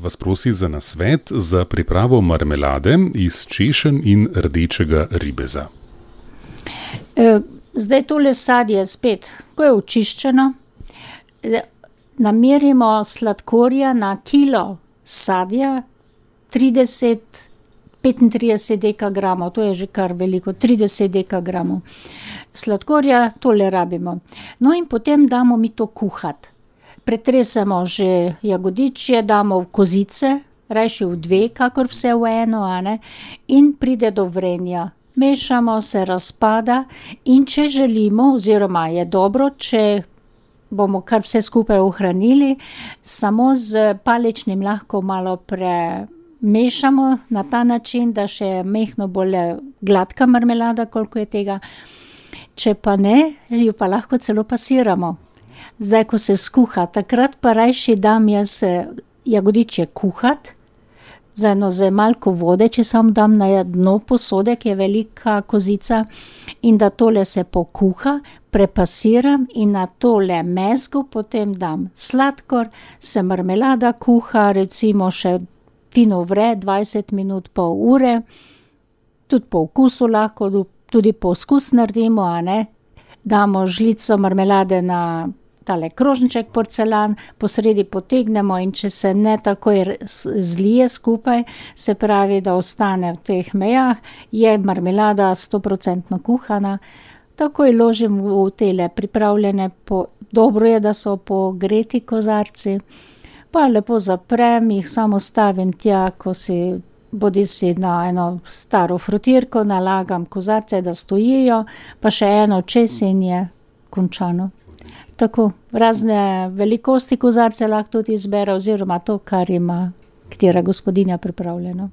Vas prosi za nasvet za pripravo marmelade iz češenj in rdečega ribeza. Zdaj tole sadje spet, ko je očiščeno, namerimo sladkorja na kilo sadja 35 dekagramov, to je že kar veliko, 30 dekagramov sladkorja, tole rabimo. No in potem damo mi to kuhati. Pretresemo že jagodičje, damo v kozice, rajši v dve, kakor vse v eno, a ne, in pride do vrenja. Mešamo, se razpada in če želimo, oziroma je dobro, če bomo kar vse skupaj ohranili, samo z paličnim lahko malo premešamo na ta način, da še je mehko bolj gladka marmelada, koliko je tega. Če pa ne, jo pa lahko celo pasiramo. Zdaj, ko se skuha, takrat pa rajši dam jaz jagodičje kuhati, z malko vode, če samo dam na dno posode, ki je velika kozica, in da tole se pokuha, prepasiram in na tole mezgo potem dam sladkor, se marmelada kuha, recimo še fino vre, 20 minut, pol ure, tudi po okusu lahko, tudi poskus naredimo, a ne, damo žlico marmelade na tale krožniček porcelan, po sredi potegnemo in če se ne takoj zlije skupaj, se pravi, da ostane v teh mejah, je marmelada 100% kuhana, takoj ložim v tele pripravljene, dobro je, da so pogreti kozarci, pa lepo zaprem, jih samo stavim tja, ko si bodisi na eno staro frotirko, nalagam kozarce, da stojijo, pa še eno čez in je končano. Tako, razne velikosti kozarce lahko tudi izbere, oziroma to, kar ima katera gospodinja pripravljeno.